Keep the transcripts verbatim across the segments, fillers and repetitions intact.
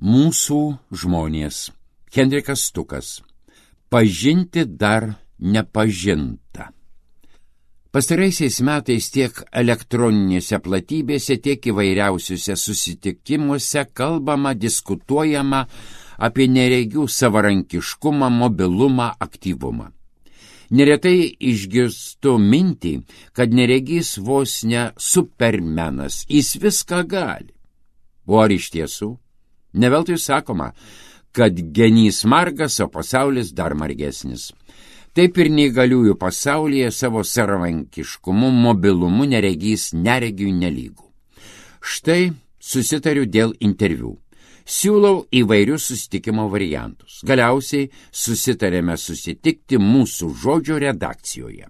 Mūsų žmonės. Henrikas Stukas. Pažinti dar nepažinta. Pastaraisiais metais tiek elektroninėse platybėse, tiek įvairiausiuose susitikimuose kalbama, diskutuojama apie neregių savarankiškumą, mobilumą, aktyvumą. Neretai išgirstu mintį, kad neregys vos ne supermenas, jis viską gali. O ar iš tiesų? Ne veltui sakoma, kad genys margas, o pasaulis dar margesnis. Taip ir neįgaliųjų pasaulyje savo savarankiškumu, mobilumu neregys neregiui nelygų. Štai susitariu dėl interviu. Siūlau įvairius susitikimo variantus. Galiausiai susitarėme susitikti mūsų žodžio redakcijoje.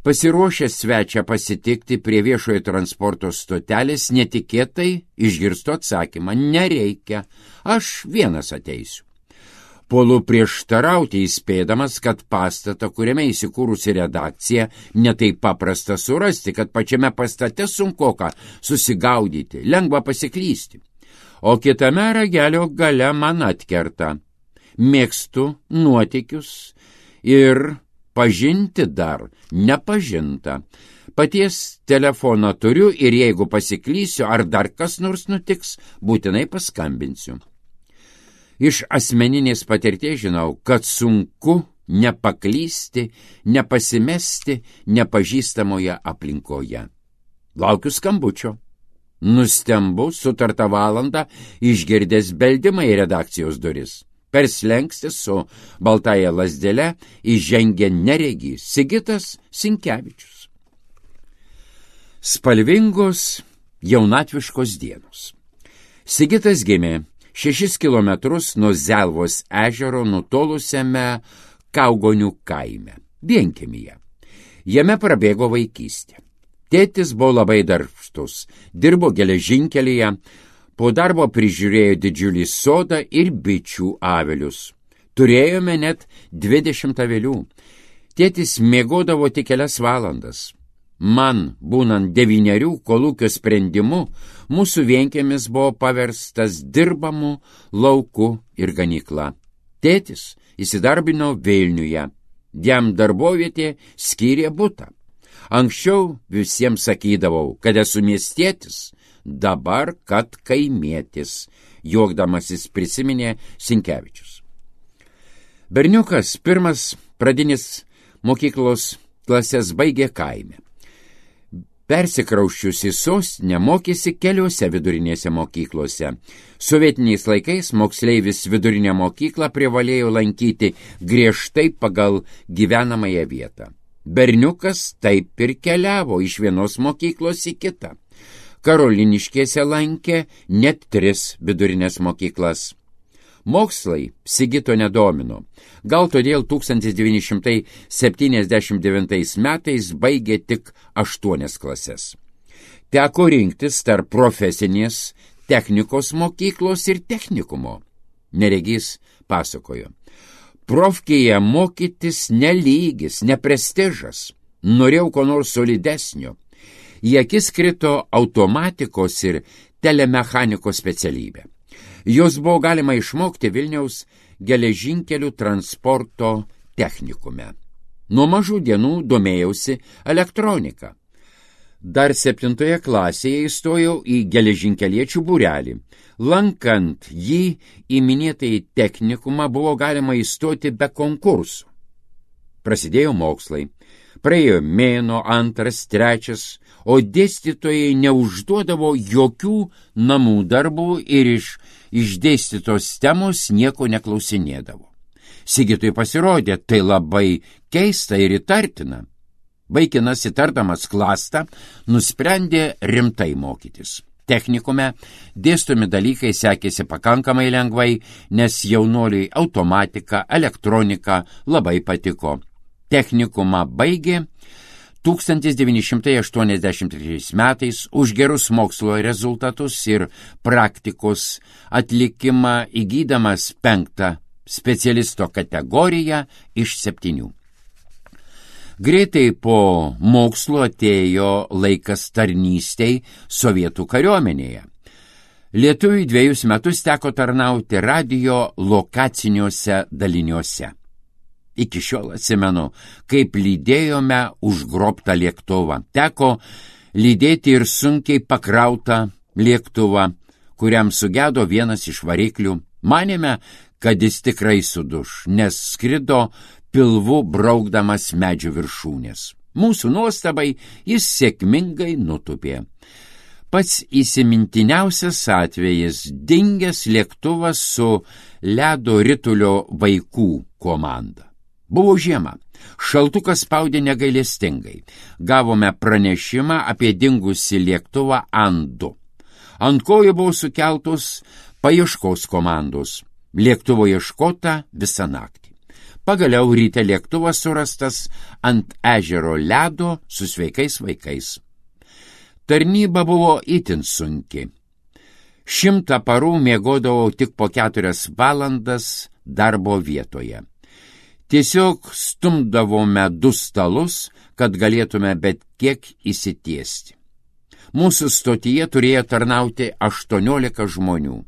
Pasiruošęs svečią pasitikti prie viešojo transporto stotelės, netikėtai išgirstu atsakymą: nereikia, aš vienas ateisiu. Puolu prieštarauti, įspėdamas, kad pastatą, kuriame įsikūrusi redakcija, netaip paprasta surasti, kad pačiame pastate sunkoka susigaudyti, lengva pasiklysti. O kitame ragelio gale man atkerta: mėgstu nuotykius ir pažinti dar nepažinta. Paties telefoną turiu ir jeigu pasiklysiu ar dar kas nors nutiks, būtinai paskambinsiu. Iš asmeninės patirties žinau, kad sunku nepaklysti, nepasimesti nepažįstamoje aplinkoje. Laukiu skambučio. Nustembu sutartą valandą išgirdęs beldimą į redakcijos duris. Per slenkstį su baltąja lazdele įžengė neregys Sigitas Sinkevičius. Spalvingos jaunatviškos dienos. Sigitas gimė šešis kilometrus nuo Zelvos ežero nutolusiame Kaugonių kaime, vienkiemyje. Jame prabėgo vaikystė. Tėtis buvo labai darbštus, dirbo geležinkelyje, po darbo prižiūrėjo didžiulį sodą ir bičių avilius. Turėjome net dvidešimt avilių. Tėtis miegodavo tik kelias valandas. Man, būnant devynerių, kolūkio sprendimu, mūsų vienkiemis buvo paverstas dirbamu lauku ir ganykla. Tėtis įsidarbino Vilniuje. Jam darbovietė skyrė butą. Anksčiau visiems sakydavau, kad esu miestietis, dabar, kad kaimietis, juokdamasis prisiminė Sinkevičius. Berniukas pirmas pradinis mokyklos klases baigė kaime. Persikrausčius į sostinę mokėsi keliose vidurinėse mokyklose. Sovietiniais laikais moksleivis vidurinę mokyklą privalėjo lankyti griežtai pagal gyvenamąją vietą. Berniukas taip ir keliavo iš vienos mokyklos į kitą. Karoliniškėse lankė net tris vidurinės mokyklas. Mokslai Sigito nedomino. Gal todėl tūkstantis devyni šimtai septyniasdešimt devintais metais baigė tik aštuonias klases. Teko rinktis tarp profesinės technikos mokyklos ir technikumo. Neregys pasakojo: profkėje mokytis nelygis, neprestižas. Norėjau ko nors solidesnio. Į akis krito automatikos ir telemechanikos specialybė. Jos buvo galima išmokti Vilniaus geležinkelių transporto technikume. Nuo mažų dienų domėjausi elektronika. Dar septintoje klasėje įstojau į geležinkeliečių būrelį. Lankant jį į minėtąjį technikumą buvo galima įstoti be konkursų. Prasidėjo mokslai. Praėjo mėno, antras, trečias, o dėstytojai neužduodavo jokių namų darbų ir iš išdėstytos temos nieko neklausinėdavo. Sigitui pasirodė tai labai keista ir įtartina. Vaikinas, įtardamas klastą, nusprendė rimtai mokytis. Technikume dėstomi dalykai sekėsi pakankamai lengvai, nes jaunuoliui automatika, elektronika labai patiko. Technikumą baigė tūkstantis devyni šimtai aštuoniasdešimt trečiais metais už gerus mokslo rezultatus ir praktikos atlikimą įgydamas penktą specialisto kategoriją iš septynių. Greitai po mokslo atėjo laikas tarnystei Sovietų kariuomenėje. Lietuviui dviejus metus teko tarnauti radijo lokaciniuose daliniuose. Iki šiol atsimenu, kaip lydėjome užgrobtą lėktuvą. Teko lydėti ir sunkiai pakrautą lėktuvą, kuriam sugedo vienas iš variklių. Manėme, kad jis tikrai suduš, nes skrido pilvu braukdamas medžių viršūnės. Mūsų nuostabai jis sėkmingai nutupė. Pats įsimintiniausias atvejis – dingęs lėktuvas su ledo ritulio vaikų komanda. Buvo žiema, šaltukas spaudė negailestingai. Gavome pranešimą apie dingusį lėktuvą An du. Ant kojų buvo sukeltos paieškos komandos. Lėktuvo ieškota visą naktį. Pagaliau ryte lėktuvas surastas ant ežero ledo su sveikais vaikais. Tarnyba buvo itin sunki. Šimtą parų miegodavau tik po keturias valandas darbo vietoje. Tiesiog stumdavome du stalus, kad galėtume bet kiek įsitiesti. Mūsų stotyje turėjo tarnauti aštuoniolika žmonių.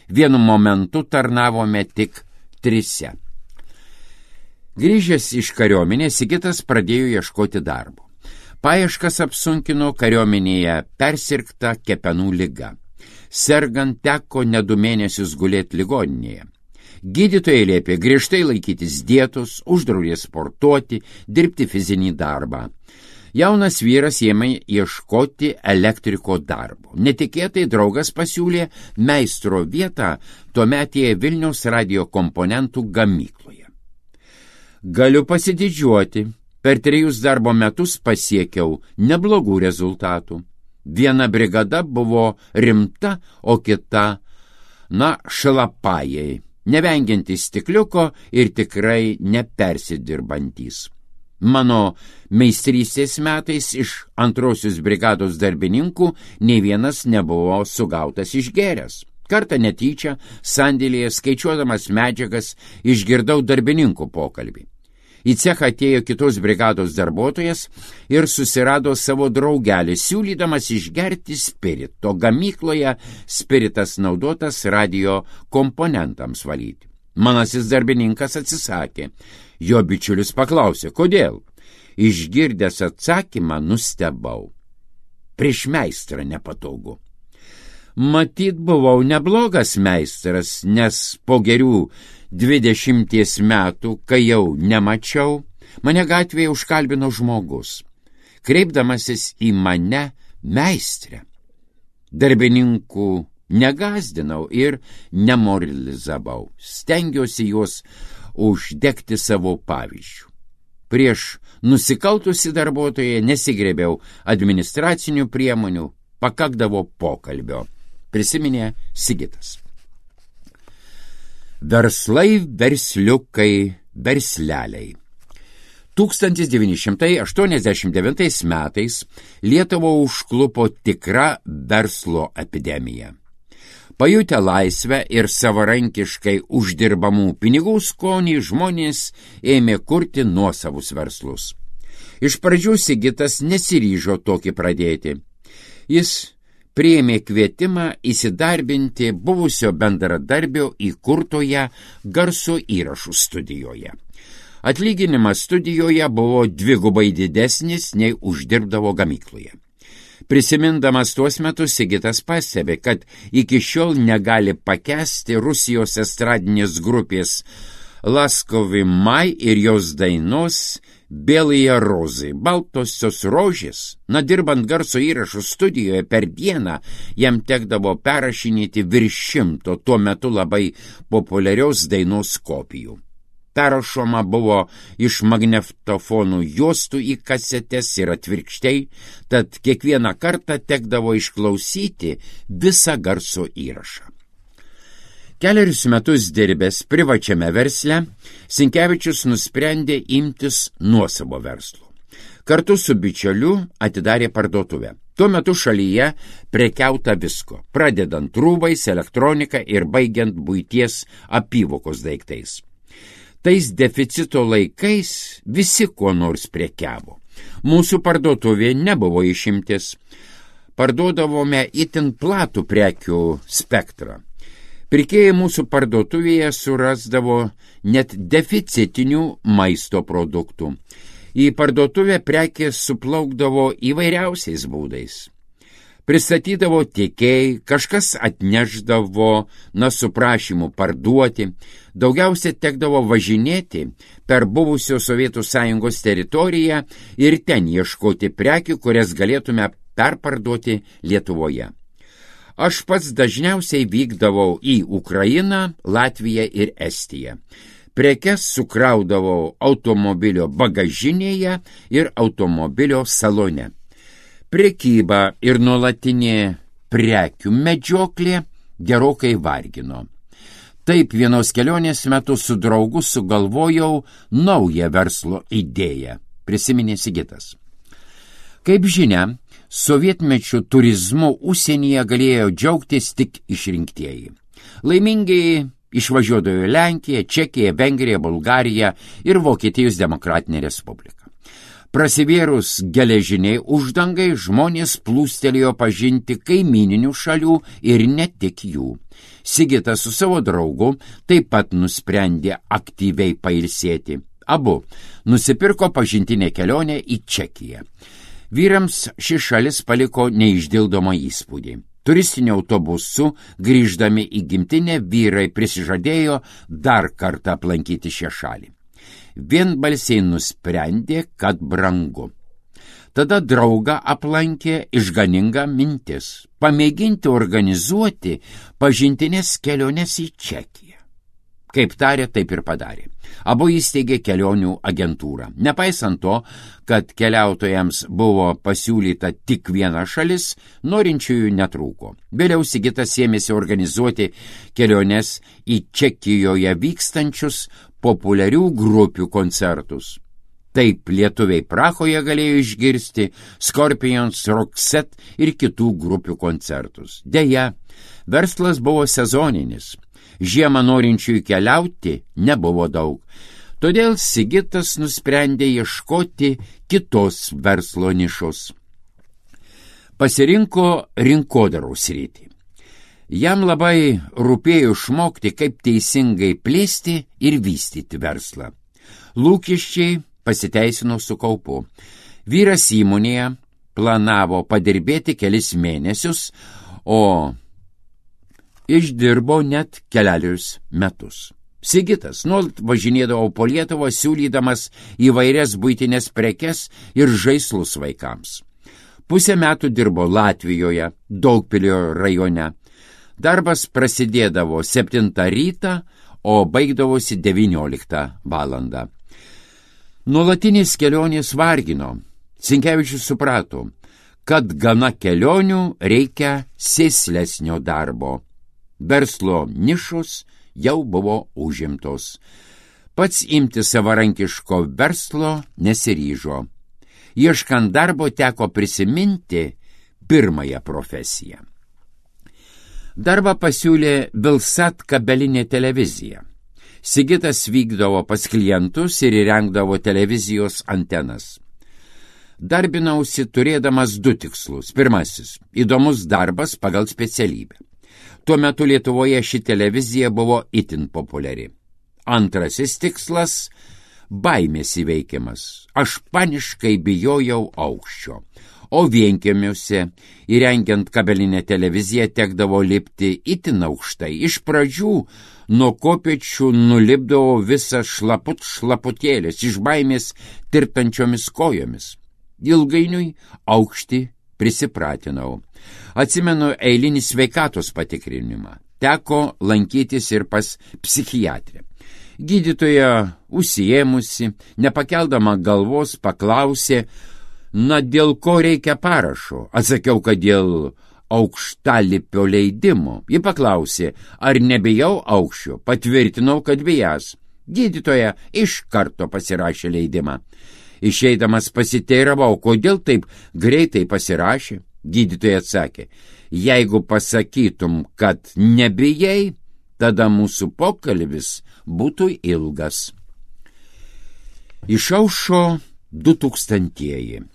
Vienu momentu tarnavome tik trise. Grįžęs iš kariuomenės, Sigitas pradėjo ieškoti darbo. Paieškas apsunkino kariuomenėje persirgta kepenų liga. Sergant teko ne du mėnesius gulėti ligoninėje. Gydytojai liepė griežtai laikytis dietos, uždraudė sportuoti, dirbti fizinį darbą. Jaunas vyras ėmė ieškoti elektriko darbo. Netikėtai draugas pasiūlė meistro vietą tuometėje Vilniaus radijo komponentų gamykloje. Galiu pasididžiuoti. Per trejus darbo metus pasiekiau neblogų rezultatų. Viena brigada buvo rimta, o kita, na, šalapajai, nevengiantys stikliuko ir tikrai nepersidirbantys. Mano meistrystės metais iš antrosios brigados darbininkų nei vienas nebuvo sugautas išgėręs. Kartą netyčia, sandėlyje skaičiuodamas medžiagas, išgirdau darbininkų pokalbį. Į cechą atėjo kitos brigados darbuotojas ir susirado savo draugelį, siūlydamas išgerti spirito. Gamykloje spiritas naudotas radijo komponentams valyti. Manasis darbininkas atsisakė. Jo bičiulis paklausė, kodėl? Išgirdęs atsakymą nustebau. Prieš meistrą nepatogu. Matyt, buvau neblogas meistras, nes po gerių dvidešimties metų, kai jau nemačiau, mane gatvėje užkalbino žmogus, kreipdamasis į mane meistrę. Darbininkų negazdinau ir nemoralizavau, stengiausi juos uždegti savo pavyzdžių. Prieš nusikaltusį darbuotoją nesigrėbiau administracinių priemonių, pakakdavo pokalbio, prisiminė Sigitas. Verslai, versliukai, versleliai. tūkstantis devyni šimtai aštuoniasdešimt devintais metais Lietuvą užklupo tikra verslo epidemija. Pajutę laisvę ir savarankiškai uždirbamų pinigų skonį, žmonės ėmė kurti nuosavus verslus. Iš pradžių Sigitas nesiryžo tokį pradėti. Jis priėmė kvietimą įsidarbinti buvusio bendradarbio įkurtoje garso įrašų studijoje. Atlyginimas studijoje buvo dvigubai didesnis nei uždirbdavo gamykloje. Prisimindamas tuos metus, Sigitas pastebė, kad iki šiol negali pakęsti Rusijos estradinės grupės Laskovi Mai ir jos dainos Bėlėje rozai, baltosios rožės. Na, dirbant garso įrašų studijoje per dieną, jam tekdavo perrašinėti virš šimto tuo metu labai populiarios dainos kopijų. Perrašoma buvo iš magnetofonų juostų į kasetes ir atvirkščiai, tad kiekvieną kartą tekdavo išklausyti visą garso įrašą. Keliarius metus dirbęs privačiame versle, Sinkevičius nusprendė imtis nuosavo verslo. Kartu su bičiuliu atidarė parduotuvę. Tuo metu šalyje prekiauta visko, pradedant rūbais, elektronika ir baigiant buities apyvokos daiktais. Tais deficito laikais visi kuo nors prekiavo. Mūsų parduotuvė nebuvo išimtis. parduodavome itin platų prekių spektrą. Pirkėjai mūsų parduotuvėje surasdavo net deficitinių maisto produktų. Į parduotuvę prekės suplaukdavo įvairiausiais būdais. Pristatydavo tiekėjai, kažkas atnešdavo, na, su prašymu parduoti, daugiausia tekdavo važinėti per buvusios Sovietų Sąjungos teritoriją ir ten ieškoti prekių, kurias galėtume perparduoti Lietuvoje. Aš pats dažniausiai vykdavau į Ukrainą, Latviją ir Estiją. Prekes sukraudavau automobilio bagažinėje ir automobilio salone. Prekyba ir nuolatinė prekių medžioklė gerokai vargino. Taip vienos kelionės metu su draugu sugalvojau naują verslo idėją, prisiminė Sigitas. Kaip žinia, sovietmečių turizmu užsienyje galėjo džiaugtis tik išrinktieji. Laimingai išvažiuodavo į Lenkiją, Čekiją, Vengriją, Bulgariją ir Vokietijos Demokratinę Respubliką. Prasivėrus geležiniai uždangai žmonės plūstelėjo pažinti kaimininių šalių ir ne tik jų. Sigitas su savo draugu taip pat nusprendė aktyviai pailsėti. Abu nusipirko pažintinę kelionę į Čekiją. Vyrams ši šalis paliko neišdildomą įspūdį. Turistiniu autobusu grįždami į gimtinę vyrai prisižadėjo dar kartą aplankyti šią šalį. Vienbalsiai nusprendė, kad brangu. Tada draugą aplankė išganinga mintis – pamėginti organizuoti pažintinės keliones į Čekiją. Kaip tarė, taip ir padarė. Abu įsteigė kelionių agentūrą. Nepaisant to, kad keliautojams buvo pasiūlyta tik viena šalis, norinčiųjų netrūko. Vėliau Sigitas ėmėsi organizuoti keliones į Čekijoje vykstančius populiarių grupių koncertus. Taip lietuviai Prahoje galėjo išgirsti Scorpions, Roxette ir kitų grupių koncertus. Deja, verslas buvo sezoninis. Žiemą norinčiųjų keliauti nebuvo daug. Todėl Sigitas nusprendė ieškoti kitos verslo nišos. Pasirinko rinkodaros sritį. Jam labai rūpėjo išmokti, kaip teisingai plėsti ir vystyti verslą. Lūkesčiai pasiteisino su kaupu. Vyras įmonėje planavo padirbėti kelis mėnesius, o išdirbo net kelerius metus. Sigitas nuolat važinėdavo po Lietuvą, siūlydamas įvairias buitinės prekes ir žaislus vaikams. Pusę metų dirbo Latvijoje, Daugpilio rajone. Darbas prasidėdavo septintą rytą, o baigdavosi devynioliktą valandą. Nuolatinės kelionės vargino. Sinkevičius suprato, kad gana kelionių reikia sėslesnio darbo. Verslo nišos jau buvo užimtos. Pats imti savarankiško verslo nesiryžo. Ieškant darbo teko prisiminti pirmąją profesiją. Darbą pasiūlė Vilsat kabelinė televizija. Sigitas vykdavo pas klientus ir įrengdavo televizijos antenas. Darbinausi turėdamas du tikslus. Pirmasis – įdomus darbas pagal specialybę. Tuo metu Lietuvoje ši televizija buvo itin populiari. Antrasis tikslas – baimės įveikimas. Aš paniškai bijojau aukščio. O vienkiemiuose, įrengiant kabelinę televiziją, tekdavo lipti itin aukštai. Iš pradžių nuo kopėčių nulipdavo visas šlaput šlaputėlės, iš baimės tirtančiomis kojomis. Ilgainiui aukštį prisipratinau. Atsimenu eilinį sveikatos patikrinimą. Teko lankytis ir pas psichiatrę. Gydytoja užsiėmusi, nepakeldama galvos, paklausė, na, dėl ko reikia parašo? Atsakiau, kad dėl aukštalipio leidimo. Ji paklausė, ar nebijau aukščio. Patvirtinau, kad bijęs. Gydytoja iš karto pasirašė leidimą. Išeidamas pasiteiravau, kodėl taip greitai pasirašė. Gydytoja atsakė, jeigu pasakytum, kad nebijai, tada mūsų pokalbis būtų ilgas. Išaušo du tūkstantieji.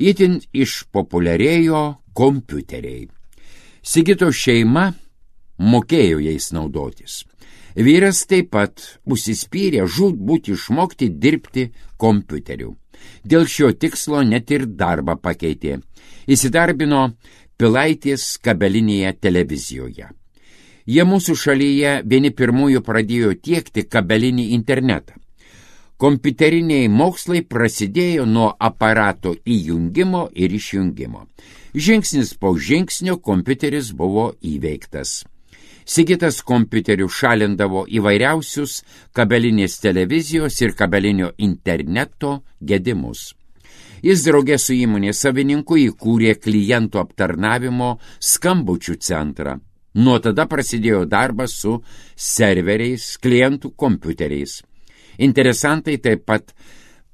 Itin išpopuliarėjo kompiuteriai. Sigito šeima mokėjo jais naudotis. Vyras taip pat užsispyrė žūtbūt išmokti dirbti kompiuteriu. Dėl šio tikslo net ir darbą pakeitė. Įsidarbino Pilaitės kabelinėje televizijoje. Jie mūsų šalyje vieni pirmųjų pradėjo tiekti kabelinį internetą. Kompiuteriniai mokslai prasidėjo nuo aparato įjungimo ir išjungimo. Žingsnis po žingsnio kompiuteris buvo įveiktas. Sigitas kompiuteriu šalindavo įvairiausius kabelinės televizijos ir kabelinio interneto gedimus. Jis draugė su įmonės savininku įkūrė klientų aptarnavimo skambučių centrą. Nuo tada prasidėjo darbas su serveriais, klientų kompiuteriais. Interesantai taip pat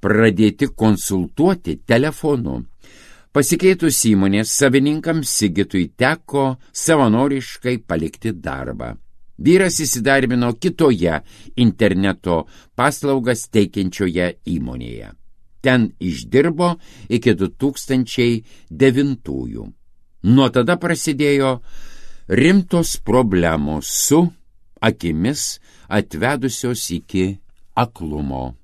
pradėti konsultuoti telefonu. Pasikeitus įmonės savininkams Sigitui teko savanoriškai palikti darbą. Vyras įsidarbino kitoje interneto paslaugas teikiančioje įmonėje. Ten išdirbo iki du tūkstančiai devintųjų. Nuo tada prasidėjo rimtos problemos su akimis atvedusios iki aklumo.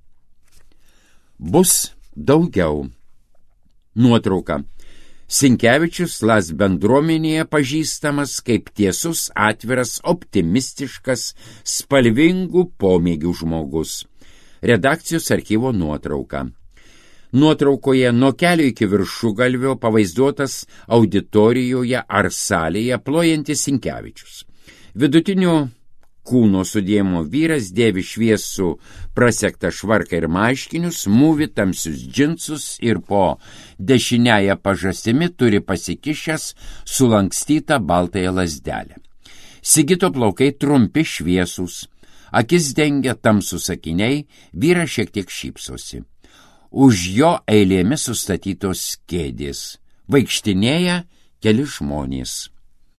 Bus daugiau. Nuotrauka. Sinkevičius Las bendruomenėje pažįstamas kaip tiesus, atviras, optimistiškas, spalvingų pomėgių žmogus. Redakcijos archyvo nuotrauka. Nuotraukoje nuo kelio iki viršugalvio pavaizduotas auditorijoje ar salėje plojantis Sinkevičius. Vidutinio kūno sudėjimo vyras dėvi šviesų prasektą švarką ir marškinius, mūvi tamsius džinsus ir po dešiniąją pažastimi turi pasikišęs sulankstytą baltąją lazdelę. Sigito plaukai trumpi šviesūs, akis dengia tamsūs akiniai, vyras šiek tiek šypsosi. Už jo eilėmis sustatytos kėdės. Vaikštinėja keli žmonės.